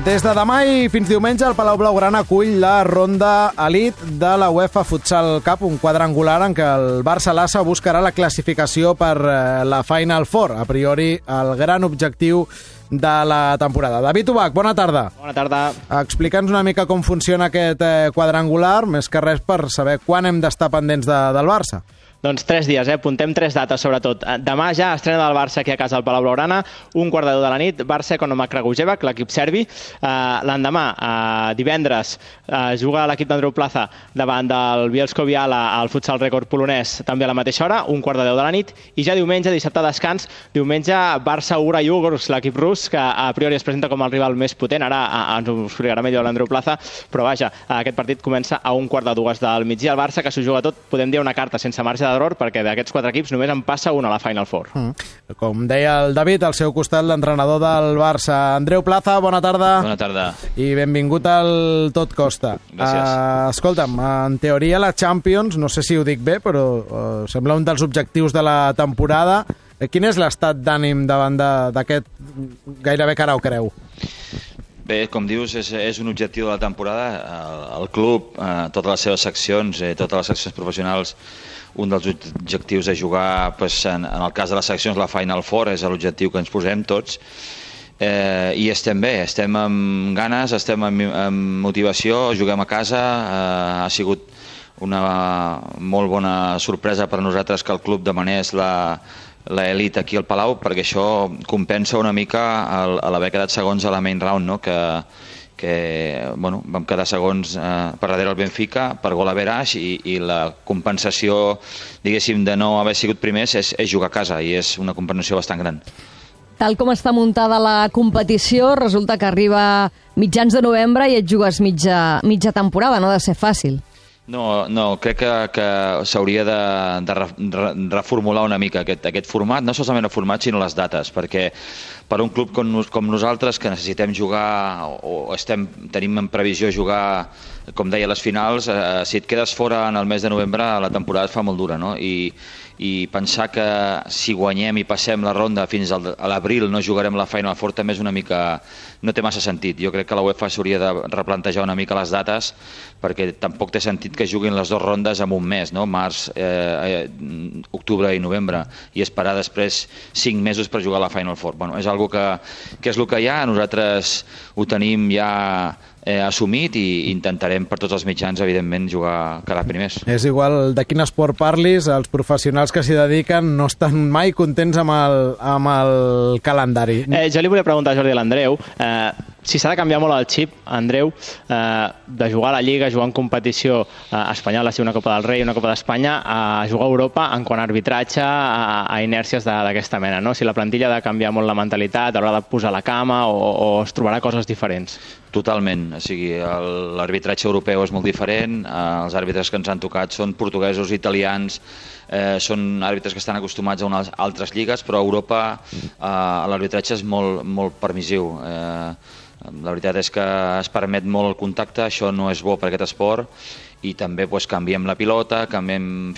Des de demà i fins diumenge, el Palau Blaugrana acull la ronda Elite de la UEFA Futsal Cup, un quadrangular en què el Barça-Lassa buscarà la classificació per la Final Four. A priori, el gran objectiu de la temporada. David Ubach, bona tarda. Bona tarda. Explica'ns una mica com funciona aquest quadrangular, més que res per saber quan hem d'estar pendents del Barça. Doncs 3 dies, apuntem 3 dates sobretot. Demà ja estrena del Barça aquí a casa al Palau Blaugrana, 1:15 de la nit, Barça contra Kragujevac, l'equip serbi. L'endemà, divendres, juga l'equip d'Andreu Plaza davant del Bielsko Biala al futsal rècord polonès, també a la mateixa hora, 1:15 de la nit. I ja diumenge, dissabte descans, diumenge Barça-Ura Yugors, l'equip rus, que a priori es presenta com el rival més potent. Ara ens ho explicarà millor l'Andreu Plaza, però vaja, aquest partit comença a 1:15 del migdia. El Barça, que s'ho juga tot, podem dir una carta sense marge d'error, perquè d'aquests 4 equips només en passa un a la Final Four. Com deia el David, al seu costat l'entrenador del Barça, Andreu Plaza, bona tarda. Bona tarda. I benvingut al Tot Costa. Gràcies. Escolta'm, en teoria la Champions, no sé si ho dic bé, però sembla un dels objectius de la temporada. Quin és l'estat d'ànim davant d'aquest gairebé cara o creu? Bé, com dius, és un objectiu de la temporada. El club, totes les seves seccions, totes les seccions professionals, un dels objectius és jugar, en el cas de les seccions, la Final Four, és l'objectiu que ens posem tots. I estem bé, estem amb ganes, estem amb motivació, juguem a casa. Ha sigut una molt bona sorpresa per a nosaltres que el club demanés l'elit aquí al Palau, perquè això compensa una mica l'haver quedat segons a la main round, no? que vam quedar segons per darrere el Benfica per gol average i la compensació, diguéssim, de no haver sigut primers és jugar a casa, i és una compensació bastant gran. Tal com està muntada la competició, resulta que arriba mitjans de novembre i et jugues mitja temporada, no ha de ser fàcil. No, crec que s'hauria de reformular una mica aquest format, no solament el format sinó les dates, perquè per un club com nosaltres, que necessitem jugar o tenim en previsió jugar, com deia, les finals, si et quedes fora en el mes de novembre la temporada es fa molt dura, no? I pensar que si guanyem i passem la ronda fins a l'abril no jugarem la Final Four també és una mica... no té massa sentit. Jo crec que la UEFA s'hauria de replantejar una mica les dates, perquè tampoc té sentit que juguin les 2 rondes en un mes, no? Març, octubre i novembre, i esperar després 5 mesos per jugar a la Final Four. És algo que és el que hi ha, nosaltres ho tenim ja assumit i intentarem per tots els mitjans, evidentment, quedar primers. És igual de quin esport parlis, els professionals que s'hi dediquen no estan mai contents amb el calendari. Jo li volia preguntar a Jordi i a l'Andreu si s'ha de canviar molt el xip, Andreu, de jugar a la Lliga, jugar en competició espanyola, si una Copa del Rei, una Copa d'Espanya, a jugar a Europa en quant a arbitratge, a inèrcies d'aquesta mena, no? Si la plantilla ha de canviar molt la mentalitat, haurà de posar la cama o es trobarà coses diferents. Totalment, o sigui, l'arbitratge europeu és molt diferent, els àrbitres que ens han tocat són portuguesos, italians, són àrbitres que estan acostumats a unes altres lligues, però a Europa l'arbitratge és molt permissiu. La veritat és que es permet molt el contacte, això no és bo per aquest esport, i també canviem la pilota, canviem,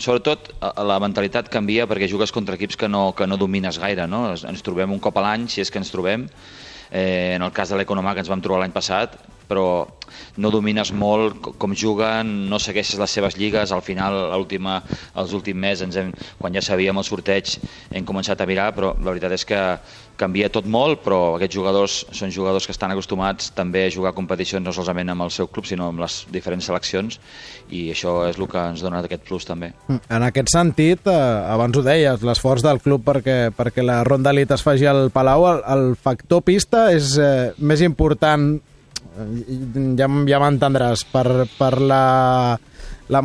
sobretot la mentalitat canvia perquè jugues contra equips que no domines gaire, no? Ens trobem un cop a l'any, si és que ens trobem, en el cas de l'Economà que ens vam trobar l'any passat, però no domines molt com juguen, no segueixes les seves lligues. Al final, els últims mesos, quan ja sabíem el sorteig, hem començat a mirar, però la veritat és que canvia tot molt, però aquests jugadors són jugadors que estan acostumats també a jugar a competicions no solament amb el seu club, sinó amb les diferents seleccions, i això és el que ens dona aquest plus també. En aquest sentit, abans ho deies, l'esforç del club perquè la ronda elite es faci al Palau, el factor pista és més important, ja m'entendràs, per la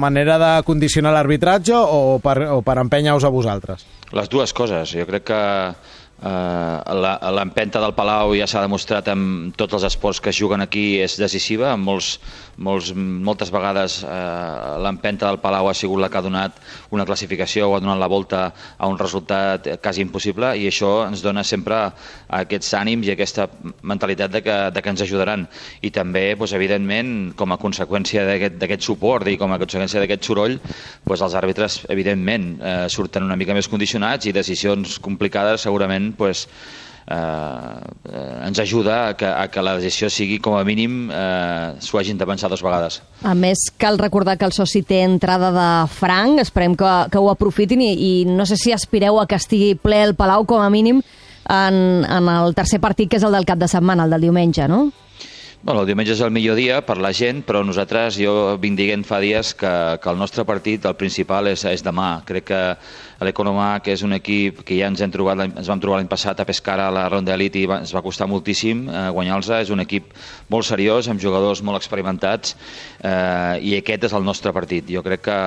manera de condicionar l'arbitratge o per empènyer-vos a vosaltres? Les dues coses. Jo crec que l'empenta del Palau ja s'ha demostrat en tots els esports que es juguen aquí, és decisiva. Moltes vegades l'empenta del Palau ha sigut la que ha donat una classificació o ha donat la volta a un resultat quasi impossible, i això ens dona sempre aquests ànims i aquesta mentalitat de que ens ajudaran. I també, evidentment, com a conseqüència d'aquest suport i com a conseqüència d'aquest soroll, els àrbitres, evidentment, surten una mica més condicionats, i decisions complicades segurament ens ajuda a que la decisió sigui, com a mínim, s'ho hagin de pensar 2 vegades. A més, cal recordar que el soci té entrada de franc, esperem que ho aprofitin i no sé si aspireu a que estigui ple el Palau, com a mínim, en el tercer partit, que és el del cap de setmana, el del diumenge, no? Bueno, el diumenge és el millor dia per la gent, però nosaltres, jo vinc dient fa dies que el nostre partit, el principal, és demà. Crec que l'Economac és un equip que ja ens vam trobar l'any passat a Pescara a la ronda d'elit i ens va costar moltíssim guanyar-los. És un equip molt seriós, amb jugadors molt experimentats, i aquest és el nostre partit. Jo crec que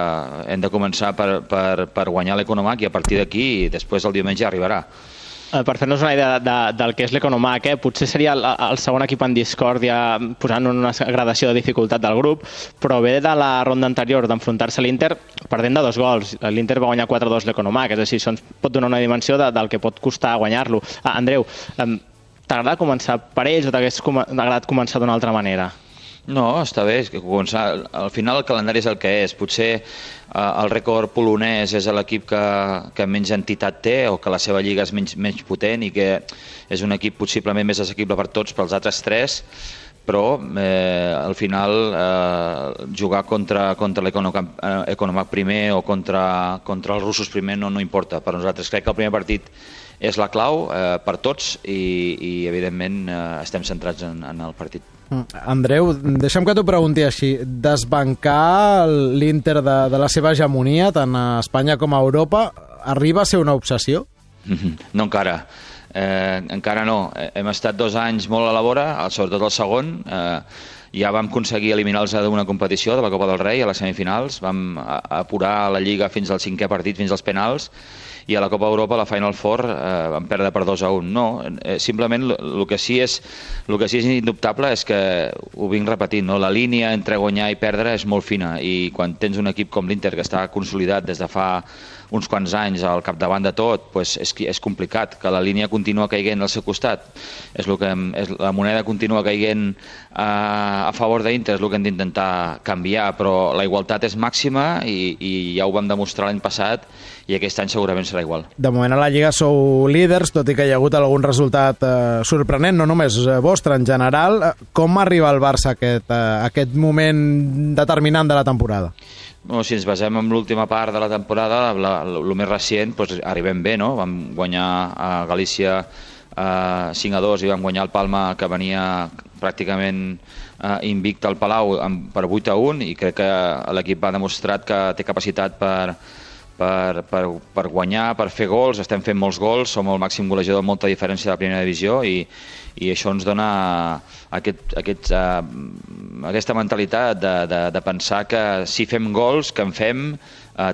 hem de començar per guanyar l'Economac i a partir d'aquí, després el diumenge arribarà. Per fer-nos una idea del que és l'Economac, potser seria el segon equip en discòrdia, posant una gradació de dificultat del grup, però ve de la ronda anterior d'enfrontar-se a l'Inter perdent de 2 gols. L'Inter va guanyar 4-2 l'Economac, és a dir, això ens pot donar una dimensió del que pot costar guanyar-lo. Andreu, t'agrada començar per ells o t'hagués agradat començar d'una altra manera? No, està bé, al final el calendari és el que és. Potser el rècord polonès és l'equip que menys entitat té o que la seva lliga és menys potent i que és un equip possiblement més assequible per tots, pels altres 3, però al final jugar contra l'Economac primer o contra els russos primer no importa. Per nosaltres crec que el primer partit és la clau per tots i evidentment estem centrats en el partit. Andreu, deixa'm que t'ho pregunti així. Desbancar l'Inter de la seva hegemonia, tant a Espanya com a Europa, arriba a ser una obsessió? No encara. Encara no. Hem estat 2 anys molt a la vora, sobretot el segon. Ja vam aconseguir eliminar-los d'una competició, de la Copa del Rei, a les semifinals. Vam apurar la Lliga fins al 5è partit, fins als penals, i a la Copa Europa, a la Final Four, vam perdre per 2-1. No, simplement el que sí és indubtable és que ho vinc repetint, no? La línia entre guanyar i perdre és molt fina i quan tens un equip com l'Inter que està consolidat des de fa uns quants anys al capdavant de tot, pues és complicat, que la línia continua caiguent al seu costat. La moneda continua caiguent a favor d'Inter, és el que hem d'intentar canviar, però la igualtat és màxima i ja ho vam demostrar l'any passat i aquest any segurament serà igual. De moment a la Lliga sou líders, tot i que hi ha hagut algun resultat sorprenent, no només vostre, en general. Com arriba el Barça a aquest moment determinant de la temporada? Bueno, si ens basem en l'última part de la temporada, el més recent, doncs arribem bé, no? Vam guanyar a Galícia 5-2 i vam guanyar el Palma, que venia pràcticament invicte al Palau per 8-1, i crec que l'equip ha demostrat que té capacitat per guanyar, per fer gols. Estem fent molts gols, som el màxim golejador amb molta diferència de la primera divisió i això ens dona aquesta mentalitat de pensar que si fem gols, que en fem,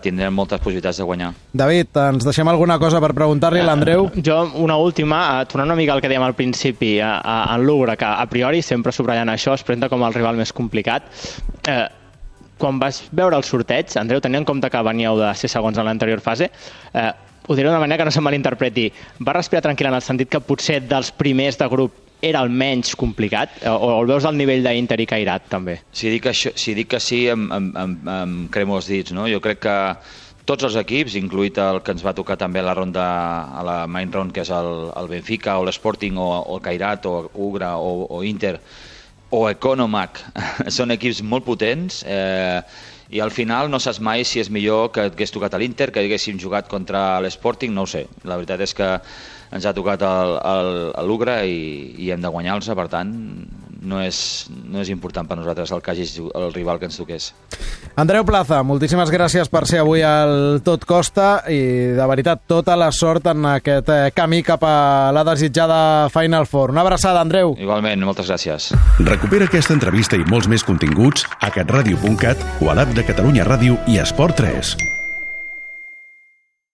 tindrem moltes possibilitats de guanyar. David, ens deixem alguna cosa per preguntar-li a l'Andreu? Jo, una última, tornant una mica al que dèiem al principi, en l'Ugra, que a priori sempre subratllant això es presenta com el rival més complicat. Quan vas veure el sorteig, Andreu, tenint en compte que veníeu de ser segons en l'anterior fase, ho diré d'una manera que no se'n malinterpreti, va respirar tranquil en el sentit que potser dels primers de grup era el menys complicat, o el veus al nivell d'Inter i Cairat, també? Si dic que sí, em cremo els dits, no? Jo crec que tots els equips, incluït el que ens va tocar també a la ronda, a la main round, que és el Benfica, o l'Sporting, o el Cairat, o Ugra, o Inter, o Economac, són equips molt potents, i al final no saps mai si és millor que hagués tocat a l'Inter, que haguéssim jugat contra l'Sporting, no ho sé. La veritat és que ens ha tocat l'Ugra i hem de guanyar-los, per tant no és important per nosaltres el que hagi el rival que ens toqués. Andreu Plaza, moltíssimes gràcies per ser avui al Tot Costa i de veritat tota la sort en aquest camí cap a la desitjada Final Four. Una abraçada, Andreu. Igualment, moltes gràcies. Recupera aquesta entrevista i molts més continguts a catradio.cat o a l'app de Catalunya Ràdio i Esport 3.